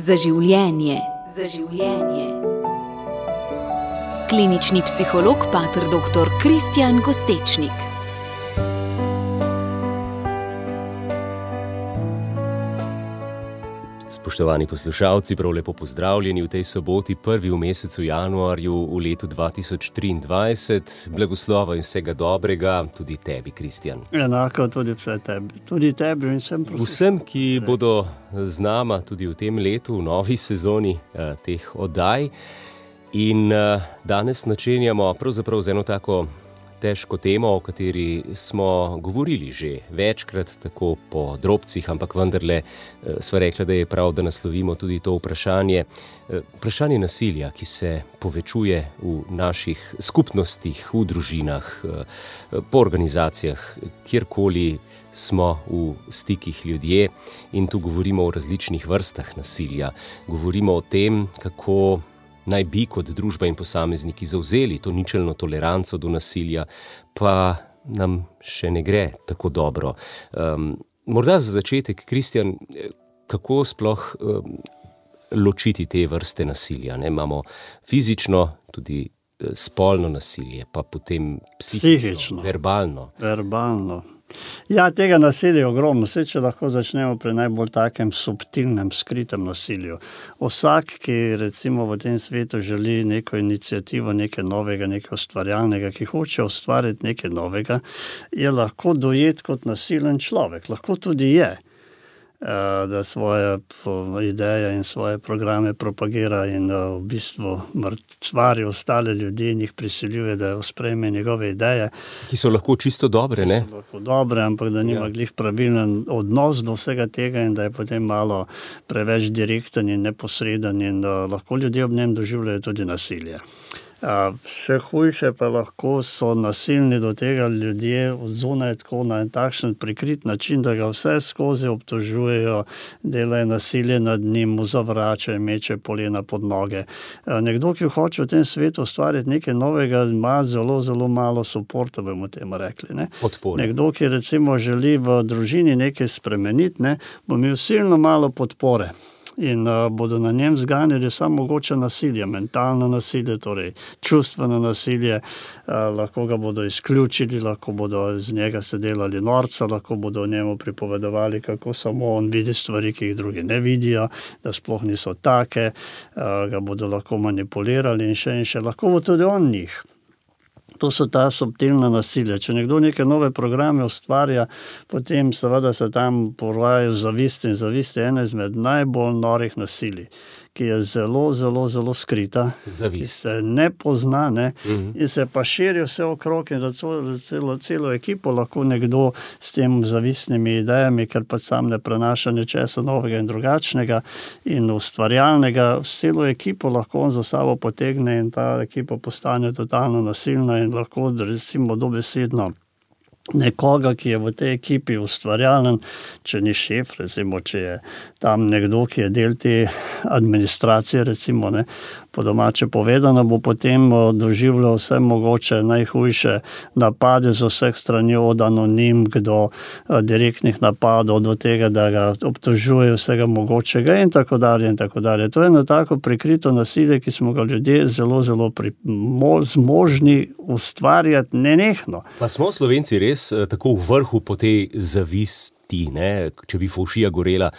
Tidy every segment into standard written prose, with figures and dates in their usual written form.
Za življenje. Klinični psiholog pater dr. Kristjan Kostečnik. Spoštovani poslušalci, prav lepo pozdravljeni v tej soboti, prvi v mesecu januarju v letu 2023. Blagoslova in vsega dobrega tudi tebi, Kristjan. Enako tudi vse tebi. Tudi tebi in vsem prosim. Vsem, ki bodo z nama tudi v tem letu, v novi sezoni teh oddaj. In danes načenjamo pravzaprav z eno tako težko temo, o kateri smo govorili že večkrat, tako po drobcih, ampak vendarle sva rekla, da je prav, da naslovimo tudi to vprašanje. Vprašanje nasilja, ki se povečuje v naših skupnostih, v družinah, po organizacijah, kjerkoli smo v stikih ljudje. In tu govorimo o različnih vrstah nasilja. Govorimo o tem, kako naj bi kot družba in posamezniki zavzeli to ničelno toleranco do nasilja, pa nam še ne gre tako dobro. Morda za začetek, Kristjan, kako sploh ločiti te vrste nasilja? Imamo fizično, tudi spolno nasilje, pa potem psihično, verbalno. Ja, tega nasilja je ogromno. Vse, če lahko začnemo pri najbolj takem subtilnem, skritem nasilju. Vsak, ki recimo v tem svetu želi neko iniciativo, nekaj novega, nekaj ustvarjalnega, ki hoče ustvariti nekaj novega, je lahko dojet kot nasilen človek. Lahko tudi je, da svoje ideje in svoje programe propagira in v bistvu mrcvari ostale ljudi in jih prisiljuje, da sprejme njegove ideje. Ki so lahko čisto dobre, ne? Ki so lahko dobre, ampak da nima glih pravilen odnos do vsega tega in da je potem malo preveč direkten in neposreden in da lahko ljudje ob njem doživljajo tudi nasilje. Še hujše pa lahko so nasilni do tega ljudje od zunaj tako na en takšen prikrit način, da ga vse skozi obtožujejo, delajo nasilje nad njim, mu zavračajo, meče polena pod noge. Nekdo, ki hoče v tem svetu ustvariti nekaj novega, ima zelo, zelo malo suporta, bomo temu rekli. Ne? Podpore. Nekdo, ki recimo želi v družini nekaj spremeniti, ne, bo imel silno malo podpore. In bodo na njem zganjali samo mogoče nasilje, mentalno nasilje, torej čustveno nasilje, lahko ga bodo izključili, lahko bodo z njega se delali norca, lahko bodo o njemu pripovedovali, kako samo on vidi stvari, ki jih drugi ne vidijo, da sploh niso take, ga bodo lahko manipulirali in še, lahko bo tudi on njih. To so ta subtilna nasilja. Če nekdo neke nove programe ustvarja, potem seveda se tam porajajo zavist in zavist je ena izmed najbolj norih nasilij, ki je zelo, zelo, zelo skrita, ki se ne pozna, ne? In se pa širi vse okrog in da celo ekipo lahko nekdo s tem zavistnimi idejami, ker pa sam ne prenaša nečesa novega in drugačnega in ustvarjalnega, celo ekipo lahko on za sabo potegne in ta ekipa postane totalno nasilna in lahko recimo dobesedno nekoga, ki je v tej ekipi ustvarjalen, če ni šef, recimo, če je tam nekdo, ki je del te administracije, recimo, ne, po domače povedano, bo potem doživljal vse mogoče najhujše napade z vseh strani, od anonimk do direktnih napadov, do tega, da ga obtožuje vsega mogočega in tako dalje in tako dalje. To je eno tako prikrito nasilje, ki smo ga ljudje zelo, zelo zmožni ustvarjati nenehno. Pa smo Slovenci res tako v vrhu po tej zavisti, ne? Če bi fovšija gorela,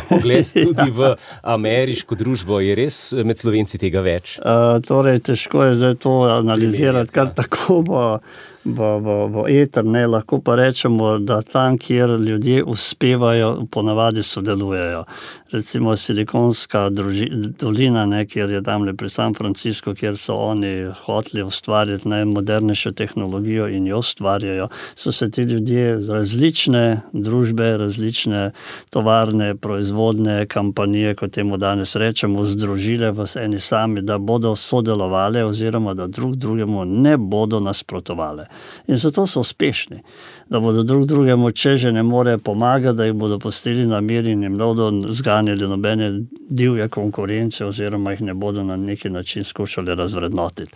pogled tudi v ameriško družbo, je res med Slovenci tega več? Torej, težko je zdaj to analizirati, kar tako bo eter, ne, lahko pa rečemo, da tam, kjer ljudje uspevajo, ponavadi sodelujejo. Recimo Silikonska dolina, ne, kjer je tamle pri San Francisco, kjer so oni hoteli ustvarjati najmodernejšo tehnologijo in jo ustvarjajo, so se ti ljudje različne družbe, različne tovarne, proizvodne kampanije, kot temu danes rečemo, združile v eni sami, da bodo sodelovali oziroma da drug drugemu ne bodo nasprotovali. In zato so uspešni, da bodo drug drugemu, če že ne more pomagati, da jih bodo pustili na miru in jim ne bodo zganjali nobene divje konkurence oziroma jih ne bodo na neki način skušali razvrednotiti.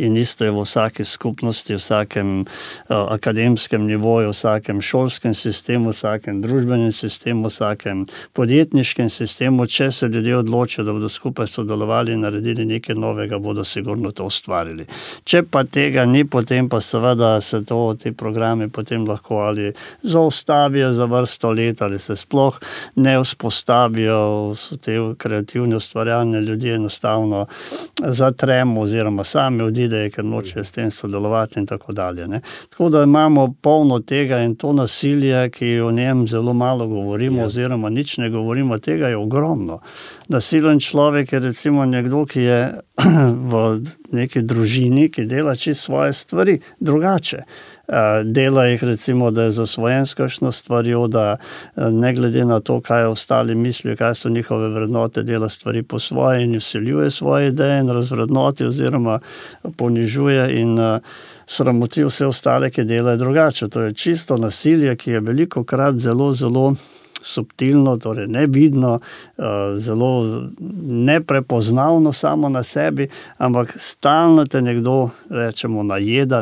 In isto je v vsaki skupnosti, v vsakem akademskem nivoju, v vsakem šolskem sistemu, sistemu, vsakem družbenem sistemu, vsakem podjetniškem sistemu, če se ljudje odločijo, da bodo skupaj sodelovali in naredili nekaj novega, bodo sigurno to ustvarili. Če pa tega ni, potem pa seveda se ti programi potem lahko ali zaustavijo za vrsto let, ali se sploh ne vzpostavijo, so te kreativne, ustvarjalne ljudje enostavno zatremo oziroma sami odidejo, ker nočejo s tem sodelovati in tako dalje. Ne. Tako da imamo polno tega in to nasilje, ki o njem zelo malo govorimo oziroma nič ne govorimo, tega je ogromno. Nasilen človek je recimo nekdo, ki je v neki družini, ki dela čisto svoje stvari drugače. Dela jih recimo, da je zasvojen s kakšno stvarjo, da ne glede na to, kaj ostali mislijo, kaj so njihove vrednote, dela stvari po svoje in vsiljuje svoje ideje in razvrednoti oziroma ponižuje in sramoti vse ostale, ki delajo drugače. To je čisto nasilje, ki je velikokrat zelo, zelo subtilno, torej nevidno, zelo neprepoznavno samo na sebi, ampak stalno te nekdo, rečemo, najeda,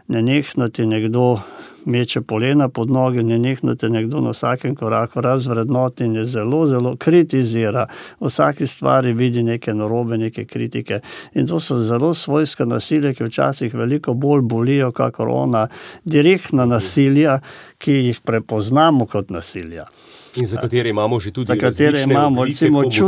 nenehno ti nekdo meče polena pod noge, nenehno te nekdo na vsakem koraku razvrednoti in je zelo, zelo kritizira. V vsaki stvari vidi neke narobe, neke kritike. In to so zelo svojska nasilja, ki včasih veliko bolj bolijo, kakor ona direktna nasilja, ki jih prepoznamo kot nasilja. In za katere imamo že tudi različne oblike pomoči.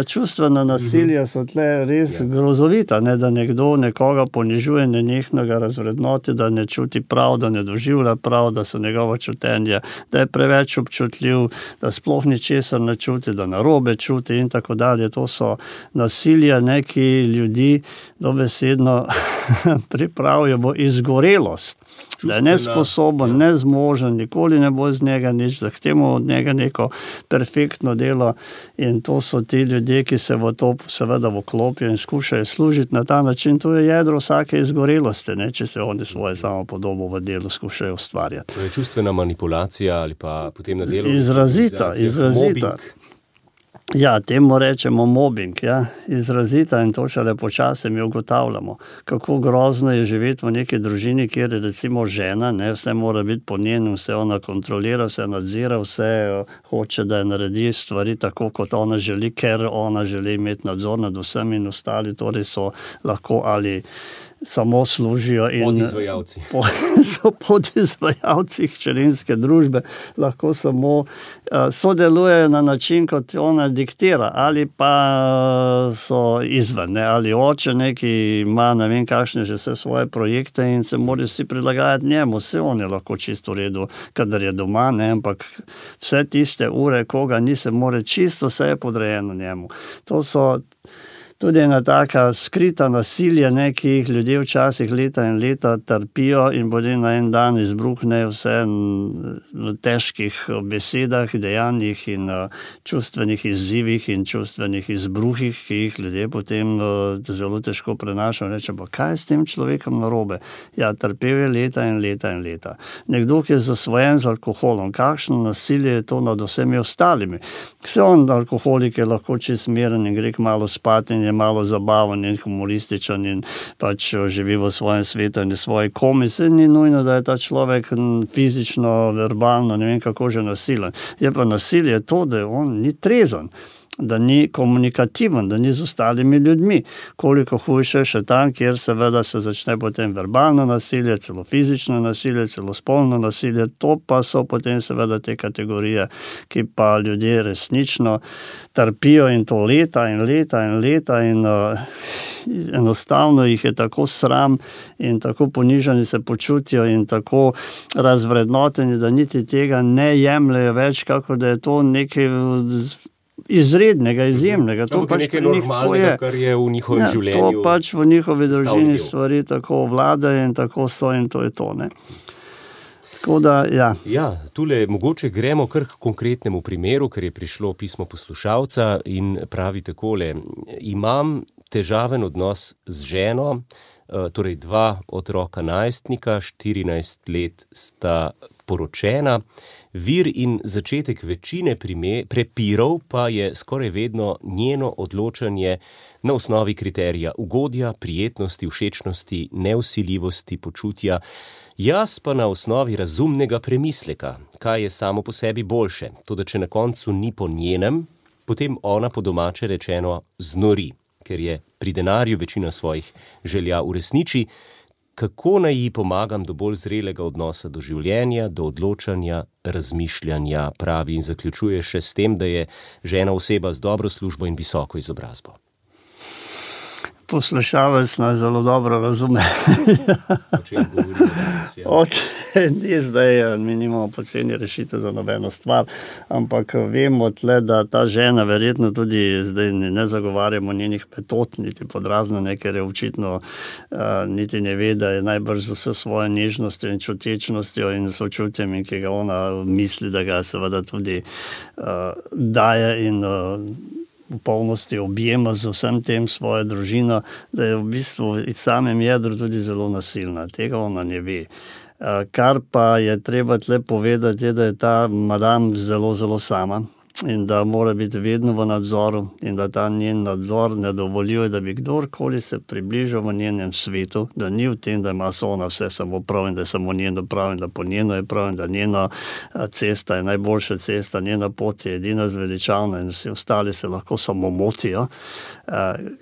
Čustvena nasilja so tle res grozovita, da nekdo nekoga ponižuje, nenehno ga razvrednoti, da ne čuti prav, da ne doživlja prav, da so njegova čutenja, da je preveč občutljiv, da sploh ničesar ne čuti, da narobe čuti in tako dalje. To so nasilja, ki ljudi dobesedno pripravijo v izgorelost. Da je nesposoben, nezmožen, nikoli ne bo z njega nič, zahtevamo od njega neko perfektno delo in to so ti ljudje, ki se v to seveda vklopijo in skušajo služiti na ta način. To je jedro vsake izgorelosti, če se oni svoje samopodobo v delu skušajo ustvarjati. To je čustvena manipulacija ali pa potem na delu? Izrazita. Ja, temu rečemo mobbing, izrazita in to šele počasi mi ugotavljamo, kako grozno je živeti v neki družini, kjer je recimo žena, vse mora biti po njenem, vse ona kontrolira, vse nadzira, vse hoče, da naredi stvari tako, kot ona želi, ker ona želi imeti nadzor nad vsemi in ostali, torej so lahko ali samo služijo in podizvajalci. So podizvajalci hčerinske družbe, lahko samo sodelujejo na način, kot ona diktira, ali pa so izven, ali oče neki ima ne vem kakšne že vse svoje projekte in se mora si prilagajati njemu, vse on je lahko čisto v redu, kadar je doma, ampak vse tiste ure, koga ni, se mora čisto, vse je podrejeno njemu. To so tudi ena taka skrita nasilja, ki jih ljudje včasih leta in leta trpijo in potem na en dan izbruhnejo vse v težkih besedah, dejanjih in čustvenih izzivih in čustvenih izbruhih, ki jih ljudje potem zelo težko prenašajo. Reče, pa kaj je s tem človekom narobe? Ja, trpel je leta in leta in leta. Nekdo, ki je zasvojen z alkoholom, kakšno nasilje je to nad vsemi ostalimi? Vse on, alkoholik, je lahko čist miren in gre malo spati in je malo zabaven in humorističen in pač živi v svojem svetu in svoji komi. Se ni nujno, da je ta človek fizično, verbalno, ne vem kako že nasilen. Je pa nasilje to, da on ni trezen, da ni komunikativen, da ni z ostalimi ljudmi. Koliko hujše še tam, kjer seveda se začne potem verbalno nasilje, celo fizično nasilje, celo spolno nasilje, to pa so potem seveda te kategorije, ki pa ljudje resnično trpijo in to leta in leta in leta in enostavno jih je tako sram in tako ponižani se počutijo in tako razvrednoteni, da niti tega ne jemljejo več, kako da je to nekaj izrednega, izjemnega. To pač nekaj normalnega, kar je v njihovem življenju. To pač v njihovi družini stvari tako vladajo in tako so in to je to. Tako da, Ja, tule mogoče gremo kar k konkretnemu primeru, ker je prišlo pismo poslušalca in pravi takole: imam težaven odnos z ženo, torej 2 otroka najstnika, 14 let sta poročena. Vir in začetek večine prepirov pa je skoraj vedno njeno odločanje na osnovi kriterija ugodja, prijetnosti, všečnosti, nevsiljivosti, počutja, jaz pa na osnovi razumnega premisleka, kaj je samo po sebi boljše. Toda če na koncu ni po njenem, potem ona po domače rečeno znori, ker je pri denarju večina svojih želja uresniči. Kako naj ji pomagam do bolj zrelega odnosa do življenja, do odločanja, razmišljanja, pravi in zaključuje še s tem, da je žena oseba z dobro službo in visoko izobrazbo. Poslušalec nas zelo dobro razume. O čem govorimo danes, ja. Ni zdaj, mi nimamo poceni rešitev za nobeno stvar, ampak vemo tle, da ta žena verjetno tudi zdaj ne zagovarjamo njenih metod, niti podrazno, ker je očitno niti ne ve, da je najbrž z vso svojo nežnostjo in čutečnostjo in sočutjem, in ki ga ona misli, da ga seveda tudi daje in v polnosti objema z vsem tem svojo družino, da je v bistvu v samem jedru tudi zelo nasilna. Tega ona ne ve. Kar pa je treba tle povedati, je, da je ta madam zelo, zelo sama in da mora biti vedno v nadzoru in da ta njen nadzor ne dovoljuje, da bi kdorkoli se približal v njenem svetu, da ni v tem, da ima ona vse samo prav in da je samo njeno prav in da po njeno je prav in da njena cesta je najboljša cesta, njena pot je edina zveličavna in vsi ostali se lahko samo motijo.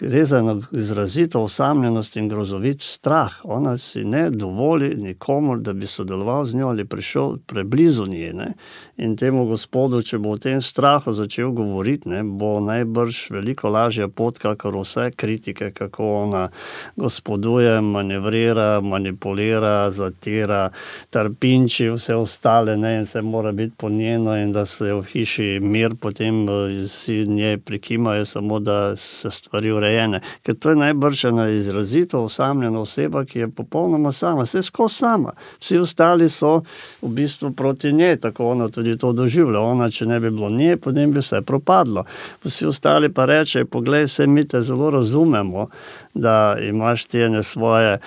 Gre za izrazito osamljenost in grozovit strah. Ona si ne dovoli nikomur, da bi sodeloval z njo ali prišel preblizu nje, ne? In temu gospodu, če bo v tem strahu začel govoriti, ne, bo najbrž veliko lažja pot, kakor vse kritike, kako ona gospoduje, manevrira, manipulira, zatira, trpinči vse ostale, ne, in se mora biti po njeno in da se v hiši mir, potem si nje prikimajo samo, da se stvari urejene. Ker to je najbrž ena izrazito osamljena oseba, ki je popolnoma sama, vse skozi sama. Vsi ostali so v bistvu proti njej, tako ona tudi to doživlja. Ona, če ne bi bilo nje, potem bi vse propadlo. Vsi ostali pa reče, poglej, se mi te zelo razumemo, da imaš ti ene svoje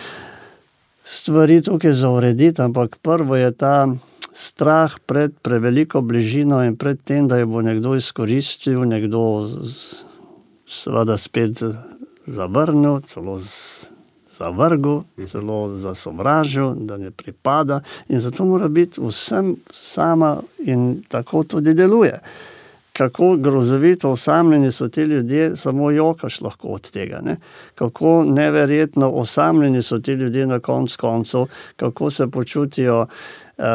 stvari tukaj za urediti, ampak prvo je ta strah pred preveliko bližino in pred tem, da jo bo nekdo izkoristil, nekdo seveda spet zavrnil, celo zavrgel, celo zasovražil, da ne pripada in zato mora biti vsem sama in tako tudi deluje. Kako grozovito osamljeni so ti ljudje, samo jokaš lahko od tega, ne? Kako neverjetno osamljeni so ti ljudje na koncu, kako se počutijo,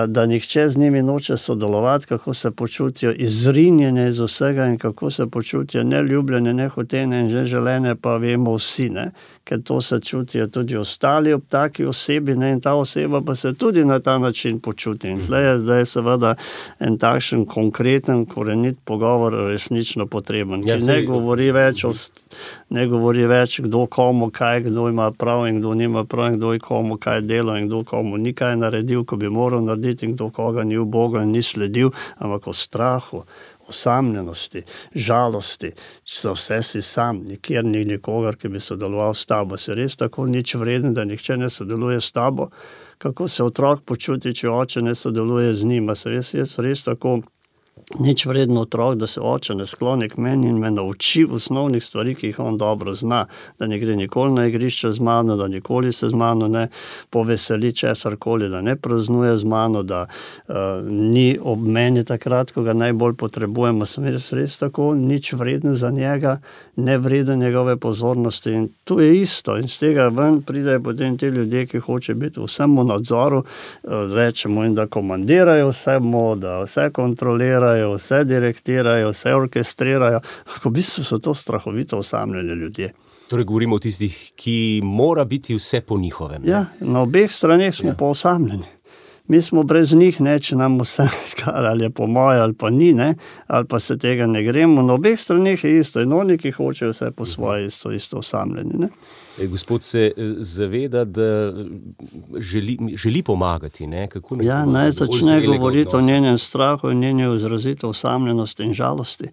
da nihče z njimi noče sodelovati, kako se počutijo izrinjene iz vsega in kako se počutijo neljubljene, nehotene in neželene, pa vemo vsi, ne? Ker to se čutijo tudi ostali ob taki osebi, ne? In ta oseba pa se tudi na ta način počuti. In tle je zdaj seveda en takšen konkreten, korenit pogovor resnično potreben, ki ne govori več kdo komu kaj, kdo ima prav in kdo nima prav in kdo je komu kaj delal in kdo komu ni kaj naredil, ko bi moral narediti in kdo koga ni ubogal in ni sledil, ampak o strahu, osamljenosti, žalosti, za vse si sam, nikjer ni nikogar, ki bi sodeloval s tabo. Si res tako nič vreden, da nihče ne sodeluje s tabo? Kako se otrok počuti, če oče ne sodeluje z njim? Se res tako nič vreden otrok, da se oče ne skloni k meni in me nauči osnovnih stvari, ki jih on dobro zna, da ne gre nikoli na igrišče z mano, da nikoli se z mano ne poveseli česarkoli, da ne praznuje z mano, da ni ob meni takrat, ko ga najbolj potrebujemo. Sem res tako nič vreden za njega, ne vreden njegove pozornosti in to je isto. In z tega ven pridejo potem ti ljudje, ki hoče biti vsem v nadzoru, rečemo in da komandirajo vsemu, da vse kontrolirajo, vse direktirajo, vse orkestrirajo. V bistvu so to strahovito osamljeni ljudje. Torej govorimo o tistih, ki mora biti vse po njihovem. Ja, na obeh straneh smo pa osamljeni. Mi smo brez njih, ne, če nam vse ali je po moje ali pa ni, ne, ali pa se tega ne gremo. Na obeh straneh je isto in oni, ki hočejo vse po svoje, isto osamljeni, ne. Gospod se zaveda, da želi pomagati, ne? Kako ja, naj začne govoriti o njenem strahu in njeni izrazito osamljenosti in žalosti.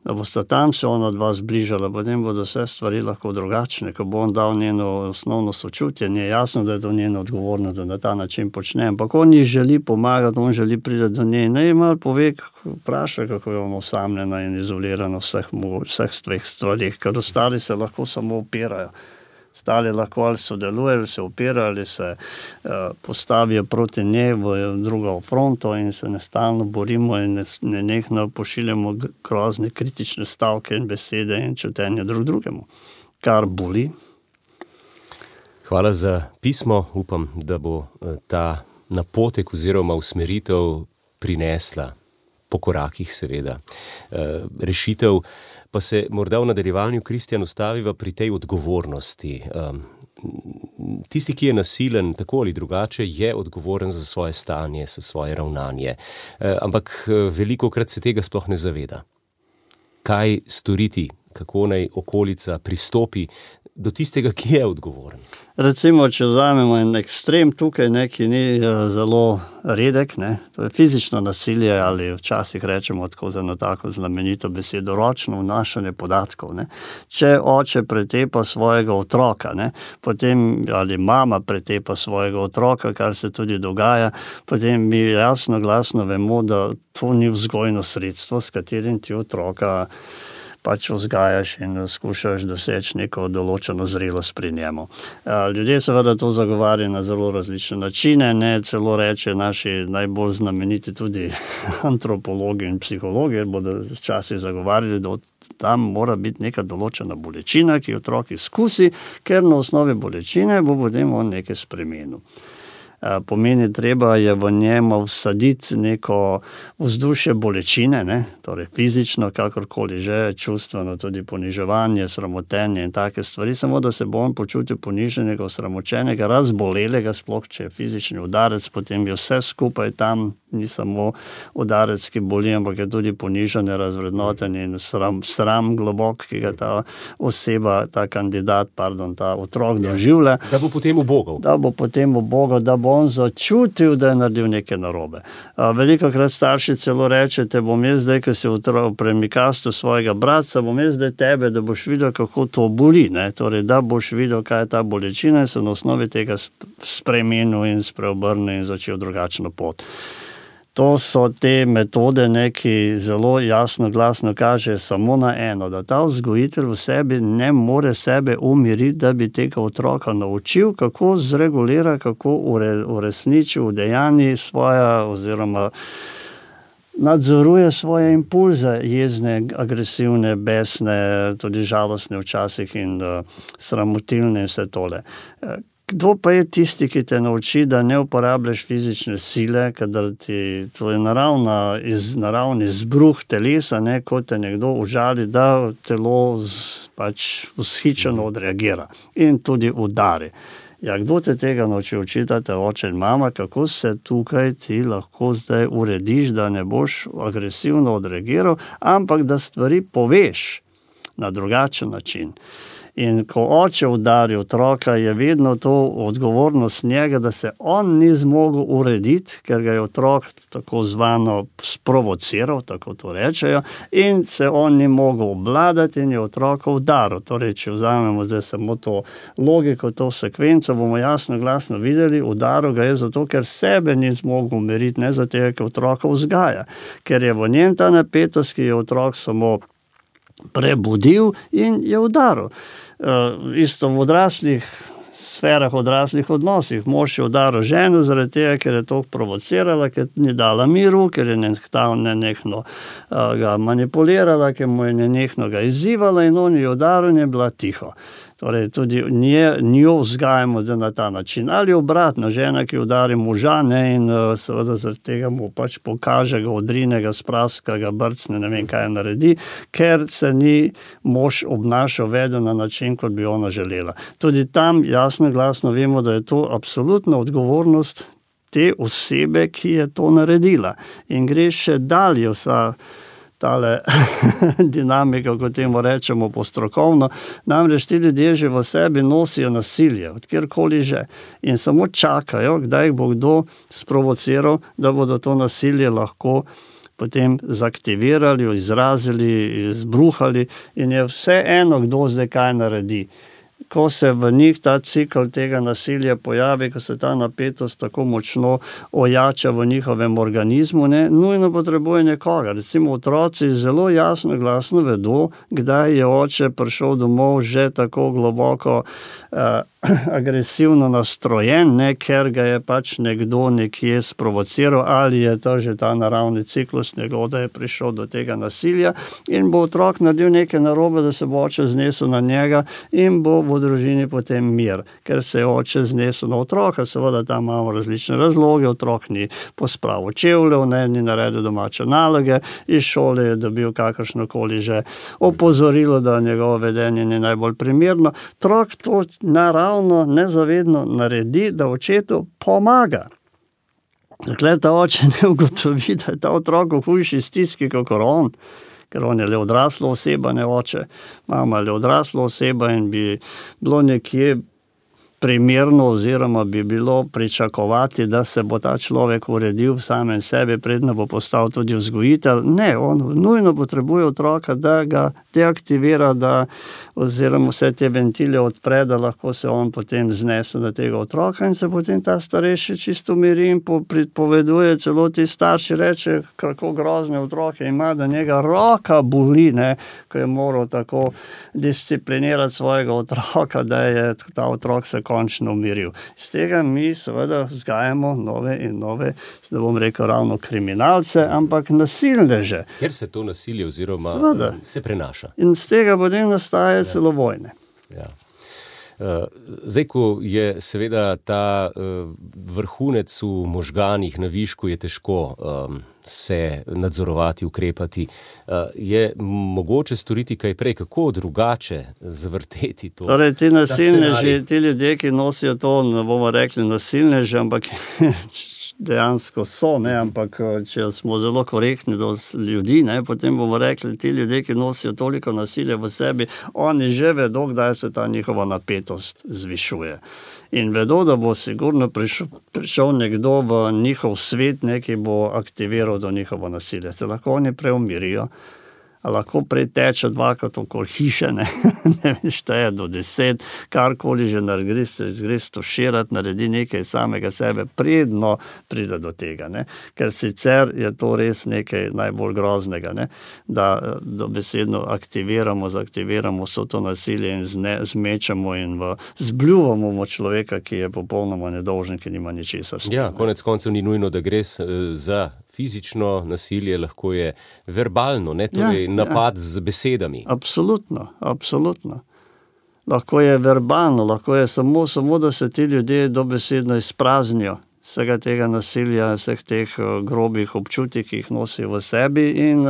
da bosta tam se ona dva zbližala, potem bodo vse stvari lahko drugačne, ko bo on dal njeno osnovno sočutje, ni jasno, da je to njeno odgovorno, da na ta način počne, ampak on ji želi pomagati, on želi priti do nje, ne malo pove, vpraša, kako je ona osamljena in izolirana vseh tveh stvarih, ker ostali se lahko samo opirajo. Ostali lahko ali sodelujejo, ali se opirajo, ali se postavijo proti njej v drugo fronto in se nestalno borimo in nenehno pošiljamo grozne kritične stavke in besede in čutenje drug drugemu, kar boli. Hvala za pismo. Upam, da bo ta napotek oziroma usmeritev prinesla po korakih seveda rešitev. Pa se morda v nadaljevanju, Kristjan, ustaviva pri tej odgovornosti. Tisti, ki je nasilen, tako ali drugače, je odgovoren za svoje stanje, za svoje ravnanje. Ampak velikokrat se tega sploh ne zaveda. Kaj storiti, kako naj okolica pristopi do tistega, ki je odgovoren? Recimo, če vzamemo en ekstrem tukaj, ki ni zelo redek, to je fizično nasilje ali včasih rečemo tako za eno tako znamenito besedo, ročno vnašanje podatkov. Če oče pretepa svojega otroka, potem ali mama pretepa svojega otroka, kar se tudi dogaja, potem mi jasno glasno vemo, da to ni vzgojno sredstvo, s katerim ti otroka pač vzgajaš in skušaš doseči neko določeno zrelost pri njemu. Ljudje seveda to zagovarjajo na zelo različne načine, celo reče naši najbolj znameniti tudi antropologi in psihologi, bodo včasih zagovarjali, da tam mora biti neka določena bolečina, ki otrok izkusi, ker na osnovi bolečine bo potem on nekaj spremenil. Pomeni, treba je v njem vsaditi neko vzdušje bolečine, torej fizično, kakorkoli že, čustveno, tudi poniževanje, sramotenje in take stvari, samo da se bo on počutil poniženega, osramočenega, razbolelega, sploh če je fizični udarec, potem je vse skupaj tam, ni samo udarec, ki boli, ampak je tudi ponižanje, razvrednotenje in sram globok, ki ga ta oseba, ta kandidat, ta otrok doživlja. Da bo potem ubogal. Da bo on začutil, da je naredil nekaj narobe. Velikokrat starši celo rečete, bom jaz zdaj, ko si v premikastu svojega bratca, bom jaz zdaj tebe, da boš videl, kako to boli. Torej, da boš videl, kaj je ta bolečina in se na osnovi tega spremenil in spreobrnil in začel drugačno pot. To so te metode, ki zelo jasno, glasno kaže samo na eno, da ta vzgojitelj v sebi ne more sebe umiriti, da bi tega otroka naučil, kako zregulira, kako uresniči, udejanji svoja oziroma nadzoruje svoje impulze, jezne, agresivne, besne, tudi žalostne včasih in sramotilne in vse tole. Kdo pa je tisti, ki te nauči, da ne uporabljaš fizične sile, kadar ti to je naravni izbruh telesa, ko te nekdo užali, da telo vzhičeno odreagira in tudi udari. Ja, kdo te tega nauči? Učite oče in mama, kako se tukaj ti lahko zdaj urediš, da ne boš agresivno odreagiral, ampak da stvari poveš na drugačen način. In ko oče udari otroka, je vedno to odgovornost njega, da se on ni zmogel urediti, ker ga je otrok tako zvano sprovociral, tako to rečejo, in se on ni mogel obvladati in je otroka udaril. Torej, če vzamemo zdaj samo to logiko, to sekvenco, bomo jasno glasno videli, udaril ga je zato, ker sebe ni zmogel umiriti, ne zato, ker otroka vzgaja. Ker je v njem ta napetost, ki je otrok samo prebudil in je udaril. Isto v odraslih sferah, odraslih odnosih. Mož je udaril ženo zaradi tega, ker je to provocirala, ker ni dala miru, ker je nenehno ga manipulirala, ker mu je nenehno ga izzivala in on je udaril in je bila tiho. Torej, tudi njo vzgajamo na ta način. Ali obratno, žena, ki udari moža, in seveda zaradi tega mu pač pokaže, ga odrine, ga spraska, ga brcne, ne vem, kaj naredi, ker se ni mož obnašal, vedel na način, kot bi ona želela. Tudi tam jasno glasno vemo, da je to absolutna odgovornost te osebe, ki je to naredila. In gre še dalje vsa tale dinamika, kot temu rečemo postrokovno, namreč ti ljudje že v sebi nosijo nasilje, od kjerkoli že, in samo čakajo, kdaj jih bo kdo sprovociral, da bodo to nasilje lahko potem zaktivirali, izrazili, izbruhali in je vse eno, kdo zdaj kaj naredi. Ko se v njih ta cikl tega nasilja pojavi, ko se ta napetost tako močno ojača v njihovem organizmu, ne, nujno potrebuje nekoga. Recimo otroci zelo jasno, glasno vedo, kdaj je oče prišel domov že tako globoko agresivno nastrojen, ne, ker ga je pač nekdo nekje sprovociral, ali je to že ta naravni ciklus njegov, da je prišel do tega nasilja, in bo otrok naredil nekaj narobe, da se bo oče znesel na njega in bo v družini potem mir, ker se je oče znesel na otroka. Seveda tam imamo različne razloge, otrok ni pospravil čevljev, ne, ni naredil domače naloge, iz šole je dobil kakršnokoli že opozorilo, da njegovo vedenje ni najbolj primerno. Otrok to naravno, nezavedno naredi, da očetu pomaga. Dokler ta oče ne ugotovi, da je ta otrok v hujši stiski kakor on, ker on je le odrasla oseba, ne oče, mama je le odrasla oseba in bi bilo nekje primerno oziroma bi bilo pričakovati, da se bo ta človek uredil v samem sebi, predno bo postal tudi vzgojitelj. Ne, on nujno potrebuje otroka, da ga deaktivira, da oziroma vse te ventile odpre, da lahko se on potem znese na tega otroka in se potem ta starejši čisto umiri in pripoveduje, celo ti starši reče, kako grozne otroke ima, da njega roka boli, ne, ko je moral tako disciplinirati svojega otroka, da je ta otrok se končno umiril. Z tega mi seveda vzgajamo nove in nove, da bom rekel ravno kriminalce, ampak nasilneže. Ker se to nasilje oziroma se prenaša. In z tega potem nastaje celo vojne. Ja. Zdaj, ko je seveda ta vrhunec v možganih na višku, je težko se nadzorovati, ukrepati. Je mogoče storiti kaj prej, kako drugače zavrteti to? Torej, ti nasilneži, ti ljudje, ki nosijo to, ne bomo rekli nasilneži, ampak dejansko so, ne, ampak če smo zelo korektni do ljudi, ne, potem bomo rekli, ti ljudje, ki nosijo toliko nasilja v sebi, oni že vedo, kdaj se ta njihova napetost zvišuje. In vedo, da bo sigurno prišel nekdo v njihov svet, ki bo aktiviral do njihovo nasilje. Se lahko oni preumirijo, a lahko preteče dvakrat okoli hiše, ne vem, šteje do 10, karkoli že naredi, se gre stuširati, naredi nekaj samega sebe, predno pride do tega, ne. Ker sicer je to res nekaj najbolj groznega, ne, da dobesedno zaktiviramo vso to nasilje in zmečemo in zbljuvamo človeka, ki je popolnoma nedolžen, ki nima ničesar. Ja, konec koncev ni nujno, da gre za fizično nasilje, lahko je verbalno, ne, torej napad z besedami. Absolutno, absolutno. Lahko je verbalno, lahko je samo, da se ti ljudje dobesedno izpraznijo vsega tega nasilja, vseh teh grobih občutij, ki jih nosijo v sebi in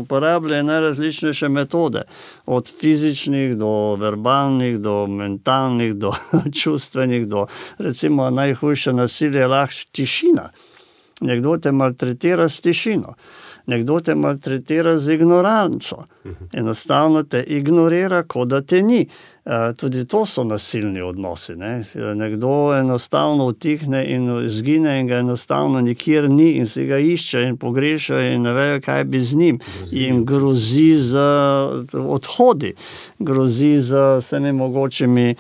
uporabljajo najrazličnejše metode. Od fizičnih do verbalnih, do mentalnih, do čustvenih, do recimo najhujše nasilje je lahko tišina. Nekdo te maltretira s tišino, nekdo te maltretira z ignoranco. Enostavno te ignorira, kot da te ni. Tudi to so nasilni odnosi, ne. Nekdo enostavno utihne in izgine in ga enostavno nikjer ni in si ga išče in pogreša in ne vejo, kaj bi z njim. In grozi z odhodi, grozi z vsemi mogočimi,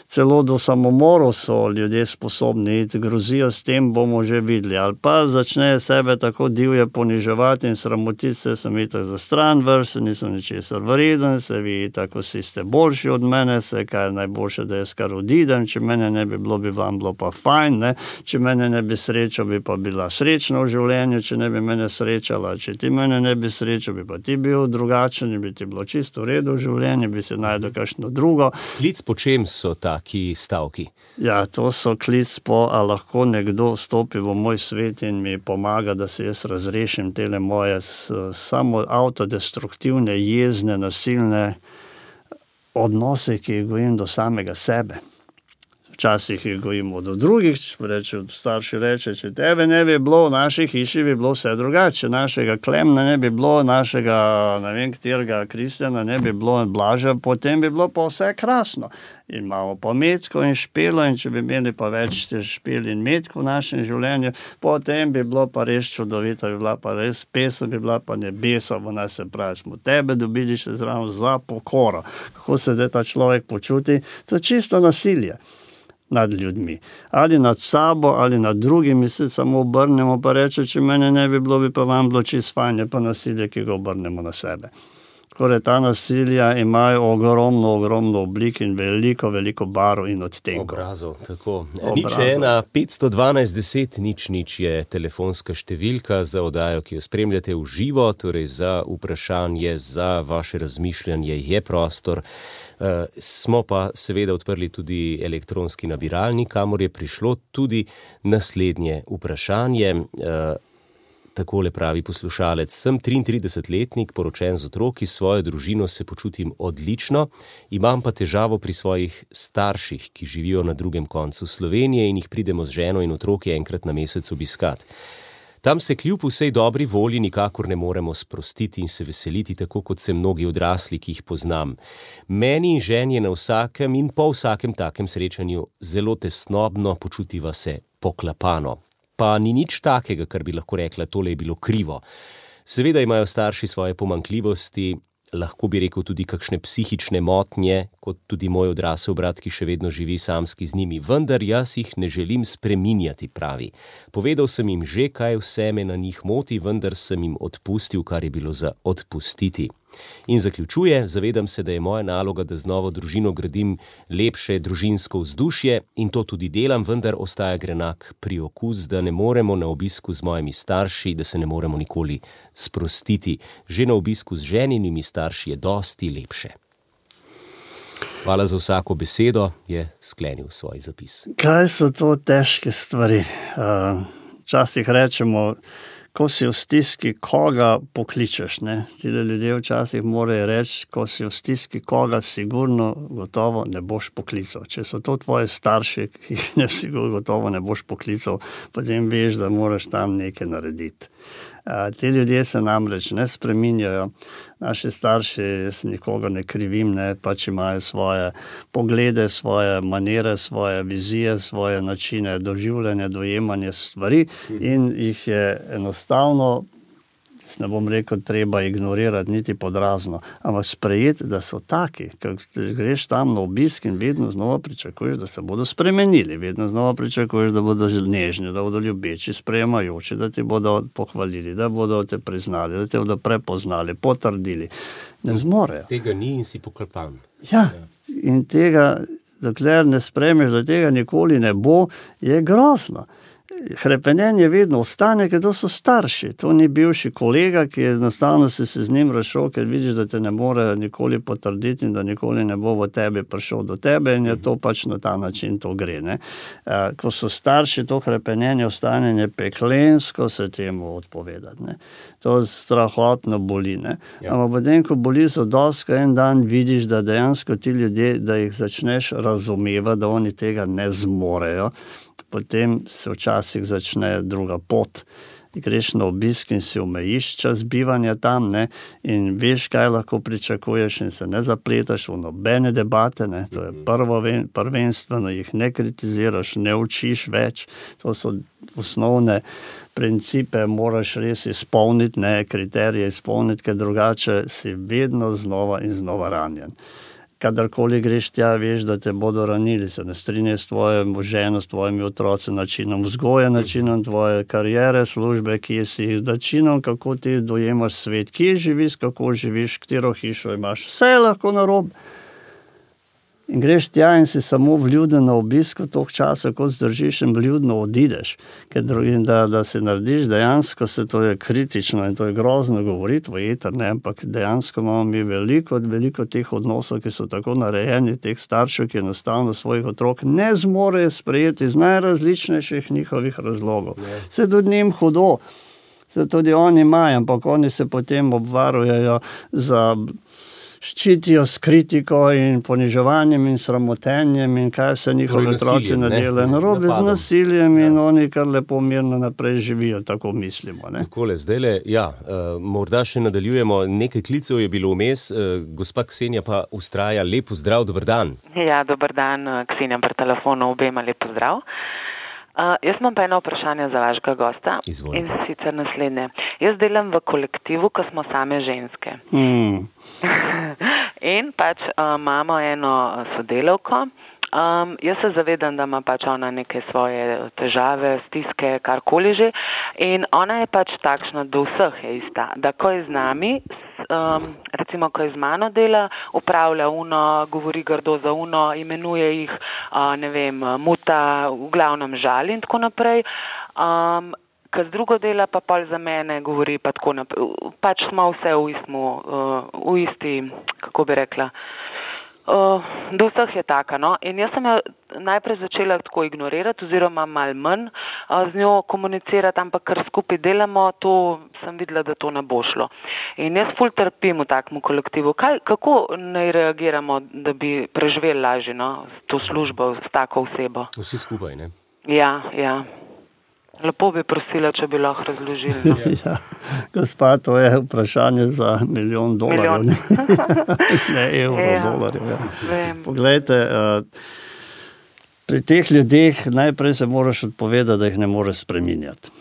celo do samomorov so ljudje sposobni iti, grozijo s tem, bomo že videli. Ali pa začne sebe tako divje poniževati in sramotiti se, sem itak za stran vrst, nisem ničesar vreden, se vi tako si ste boljši od mene, se kaj je najboljše, da jaz kar odidem, če mene ne bi bilo, bi vam bilo pa fajn, ne? Če mene ne bi srečal, bi pa bila srečna v življenju, če ne bi mene srečala, če ti mene ne bi srečal, bi pa ti bil drugačen in bi ti bilo čisto v redu v življenju, bi se najdel kakšno drugo. Klic po čem so taki stavki? Ja, to so klic po, a lahko nekdo vstopi v moj svet in mi pomaga, da se jaz razrešim tele moje samo avtodestruktivne, jezne, nasilne odnose, ki jih gojim do samega sebe. Včasih jih gojimo do drugih, starši reče, če tebe ne bi bilo, v naši hiši bi bilo vse drugače, našega Klemna ne bi bilo, našega, ne vem, katerega Kristjana ne bi bilo, Blaža, potem bi bilo pa vse krasno. In imamo pa metko in špelo, in če bi imeli pa več špel in metko v našem življenju, potem bi bilo pa res čudovito, bi bila pa res pesem, bi bila pa nebesa, v nas se pravi, smo tebe dobili še zraven za pokoro. Kako se da ta človek počuti? To je čisto nasilje nad ljudmi. Ali nad sabo, ali nad drugimi, se samo obrnemo, pa reče, če mene ne bi bilo, bi pa vam bilo čisto fajn, je pa nasilje, ki ga obrnemo na sebe. Torej, ta nasilja imajo ogromno oblik in veliko barv in odtenkov. Obrazov, tako. Nič 1 512 10 0 je telefonska številka za oddajo, ki jo spremljate v živo, torej za vprašanje, za vaše razmišljanje je prostor. Smo pa seveda odprli tudi elektronski nabiralnik, kamor je prišlo tudi naslednje vprašanje. Takole pravi poslušalec: sem 33-letnik, poročen z otroki, s svojo družino se počutim odlično, imam pa težavo pri svojih starših, ki živijo na drugem koncu Slovenije in jih pridemo z ženo in otroki enkrat na mesec obiskat. Tam se kljub vsej dobri volji nikakor ne moremo sprostiti in se veseliti, tako kot se mnogi odrasli, ki jih poznam. Meni in ženi je na vsakem in po vsakem takem srečanju zelo tesnobno, počutiva se poklapano. Pa ni nič takega, kar bi lahko rekla, tole je bilo krivo. Seveda imajo starši svoje pomanjkljivosti, lahko bi rekel tudi kakšne psihične motnje, kot tudi moj odrasel brat, ki še vedno živi samski z njimi, vendar jaz jih ne želim spreminjati, pravi. Povedal sem jim že, kaj vse me na njih moti, vendar sem jim odpustil, kar je bilo za odpustiti. In zaključuje: zavedam se, da je moja naloga, da z novo družino gradim lepše družinsko vzdušje in to tudi delam, vendar ostaja grenak priokus, da ne moremo na obisku z mojimi starši, da se ne moremo nikoli sprostiti. Že na obisku z ženinimi starši je dosti lepše. Hvala za vsako besedo, je sklenil svoj zapis. Kaj so to težke stvari? Včasih rečemo, ko si v stiski, koga pokličeš, ne? Tile ljudje včasih morajo reči, ko si v stiski, koga sigurno gotovo ne boš poklical. Če so to tvoji starši, ki jih ne sigurno gotovo ne boš poklical, potem veš, da moraš tam nekaj narediti. Ti ljudje se namreč ne spreminjajo. Naši starši, jaz nikoga ne krivim, ne, pač imajo svoje poglede, svoje manere, svoje vizije, svoje načine doživljanja, dojemanja stvari in jih je enostavno, ne bom rekel, treba ignorirati niti podrazno, ampak sprejeti, da so taki, ker greš tam na obisk in vedno znova pričakuješ, da se bodo spremenili, vedno znova pričakuješ, da bodo nežni, da bodo ljubeči, sprejemajoči, da ti bodo pohvalili, da bodo te priznali, da te bodo prepoznali, potrdili. Ne zmorejo. Tega ni in si poklepan. Ja, in tega, dokler ne sprejmeš, da tega nikoli ne bo, je grozno. Hrepenenje vedno ostane, ker to so starši. To ni bivši kolega, ki je enostavno se z njim razšel, ker vidiš, da te ne more nikoli potrditi in da nikoli ne bo v tebi prišel do tebe in je to pač na ta način to gre. Ne? Ko so starši, to hrepenenje ostane nepeklensko se temu odpovedati. Ne? To strahotno boli. Ne? Ja. Ampak potem, ko boli zadosti, en dan vidiš, da dejansko ti ljudje, da jih začneš razumevati, da oni tega ne zmorejo, potem se včasih začne druga pot. Greš na obisk in si omejiš čas bivanja tam, ne, in veš, kaj lahko pričakuješ in se ne zapletaš v nobene debate, ne, to je prvenstveno, jih ne kritiziraš, ne učiš več, to so osnovne principe, moraš res izpolniti, ne, kriterije izpolniti, ker drugače si vedno znova in znova ranjen. Kadarkoli greš tja, veš, da te bodo ranili, se ne strinjajo s tvojo ženo, s tvojimi otroci, načinom vzgoje, načinom tvoje kariere, službe, kje si, načinom, kako ti dojemaš svet, kje živiš, kako živiš, katero hišo imaš, vse je lahko narobe. In greš tja in si samo vljuden na obisku toliko časa, kot zdržiš in vljudno odideš. Ker da si narediš, dejansko se to je kritično in to je grozno govoriti v eter, ne, ampak dejansko imamo mi veliko teh odnosov, ki so tako narejeni, teh staršev, ki enostavno svojih otrok ne zmorejo sprejeti iz najrazličnejših njihovih razlogov. Se tudi njim hudo, se tudi oni imajo, ampak oni se potem obvarujejo za ščitijo s kritiko in poniževanjem in sramotenjem in kaj vse njihovi otroci nadelajo narobe z nasiljem in oni kar lepo mirno naprej živijo, tako mislimo. Takole, zdajle, morda še nadaljujemo, nekaj klicev je bilo vmes, gospa Ksenija pa vztraja, lep pozdrav, dober dan. Ja, dober dan, Ksenija pri telefonu, obema lep pozdrav. Jaz imam pa eno vprašanje za vašega gosta. Izvolite. In sicer naslednje. Jaz delam v kolektivu, ko smo same ženske. In pač imamo eno sodelavko. Jaz se zavedam, da ima pač ona neke svoje težave, stiske, karkoli že. In ona je pač takšna, do vseh je ista. Da ko je z nami, recimo, ko je z mano dela, upravlja uno, govori grdo za uno, imenuje jih, muta, v glavnem žali in tako naprej. Ko z drugo dela, pa pol za mene govori, pa tako naprej. Pač smo vse v isti, kako bi rekla, do vseh je taka, no. In jaz sem jo najprej začela tako ignorirati, oziroma malo manj z njo komunicirati, ampak ker skupaj delamo, to sem videla, da to ne bo šlo. In jaz ful trpim v takmu kolektivu. Kako naj reagiramo, da bi preživeli lažje, no, to službo s tako osebo? Vsi skupaj, ne? Ja. Lepo bi prosila, če bi lahko razložili. Ja, gospa, to je vprašanje za $1 milijon. Ne evrov, dolarjev. Ja. Poglejte, pri teh ljudeh najprej se moraš odpovedati, da jih ne moreš spreminjati.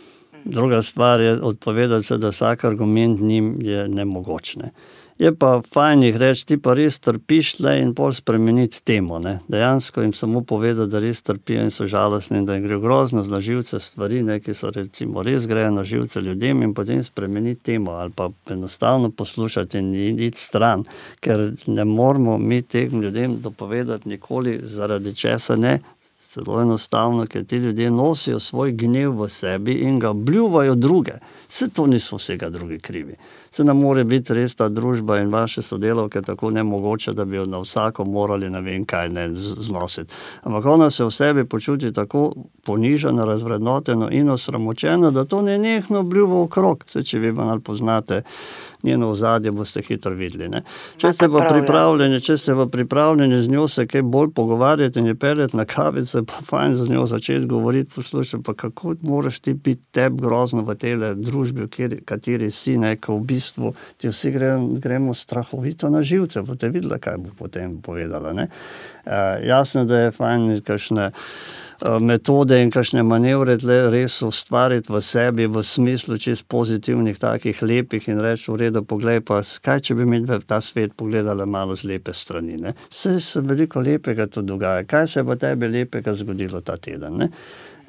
Druga stvar je odpovedati se, da vsak argument njim je nemogoč. Ne. Je pa fajn jih reči, ti pa res trpiš tle in pol spremeniti temo. Ne. Dejansko jim samo povedati, da res trpijo in so žalostni in da jim gre grozno na živce stvari, ne, ki so recimo res grejo na živce ljudem in potem spremeniti temo ali pa enostavno poslušati in iti stran, ker ne moramo mi tem ljudem dopovedati nikoli zaradi česa ne. Zelo enostavno, ker ti ljudje nosijo svoj gnev v sebi in ga bljuvajo druge. Vse to niso vsega drugi krivi. Se nam more biti res ta družba in vaše sodelavke tako nemogoče, da bi jo na vsako morali ne vem kaj ne znositi. Ampak ona se v sebi počuti tako ponižena, razvrednoteno in osramočena, da to nenehno bljuva okrog. Če vi malo poznate njeno ozadje, boste hitro videli. Ne? Če ste pa pripravljeni z njo se kaj bolj pogovarjati in je peljati na kavice, pa fajn z njo začeti govoriti, poslušati, pa kako moraš ti biti tebi grozno v tele družbi, v kateri si, ko v bistvu ti vsi gremo strahovito na živce, boste videli, kaj bo potem povedala. Ne? Jasno, da je fajn kakšne metode in kakšne manevre res ustvariti v sebi v smislu čist pozitivnih, takih lepih in reči v redu, poglej pa, kaj če bi mi v ta svet pogledala malo z lepe strani. Ne? Se veliko lepega tu dogaja. Kaj se bo tebi lepega zgodilo ta teden? Ne?